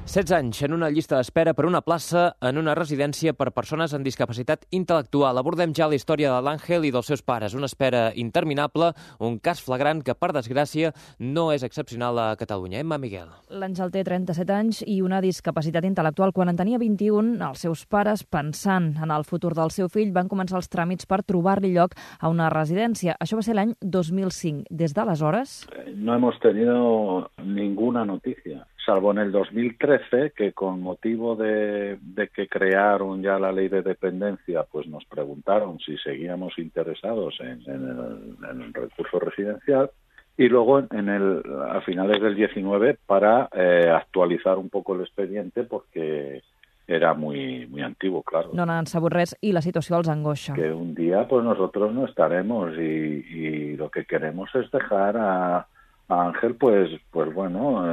16 anys en una llista d'espera per una plaça en una residència per persones amb discapacitat intel·lectual. Abordem ja la història de l'Àngel i dels seus pares. Una espera interminable, un cas flagrant que, per desgràcia, no és excepcional a Catalunya. Emma Miguel. L'Àngel té 37 anys i una discapacitat intel·lectual. Quan en tenia 21, els seus pares, pensant en el futur del seu fill, van començar els tràmits per trobar-li lloc a una residència. Això va ser l'any 2005. Des d'aleshores... No hemos tenido ninguna noticia, salvo en el 2013, que con motivo de que crearon ya la ley de dependencia, pues nos preguntaron si seguíamos interesados en el recurso residencial, y luego a finales del 19 para actualizar un poco el expediente, porque era muy antiguo, claro. No n'han sabut res i la situació els angoixa. Que un día pues nosotros no estaremos y lo que queremos es dejar a Ángel, pues bueno,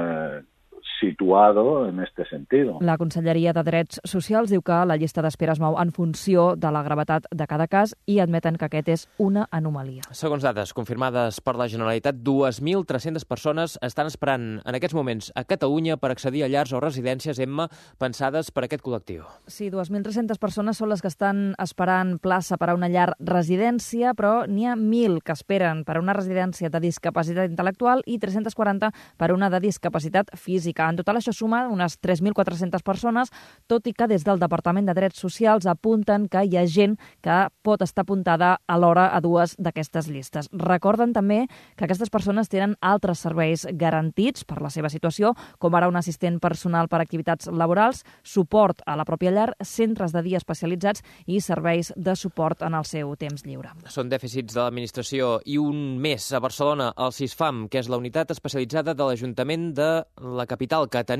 situado en este sentido. La Conselleria de Drets Socials diu que la llista d'espera es mou en funció de la gravetat de cada cas i admeten que aquest és una anomalia. Segons dades confirmades per la Generalitat, 2.300 persones estan esperant en aquests moments a Catalunya per accedir a llars o residències, Emma, pensades per aquest col·lectiu. Sí, 2.300 persones són les que estan esperant plaça per a una llar residència, però n'hi ha 1.000 que esperen per a una residència de discapacitat intel·lectual i 340 per a una de discapacitat física. En total, això suma unes 3.400 persones, tot i que des del Departament de Drets Socials apunten que hi ha gent que pot estar apuntada alhora a dues d'aquestes llistes. Recorden també que aquestes persones tenen altres serveis garantits per la seva situació, com ara un assistent personal per activitats laborals, suport a la pròpia llar, centres de dia especialitzats i serveis de suport en el seu temps lliure. Són dèficits de l'administració i un més a Barcelona, el CISFAM, que és la unitat especialitzada de l'Ajuntament de la capital, que tenia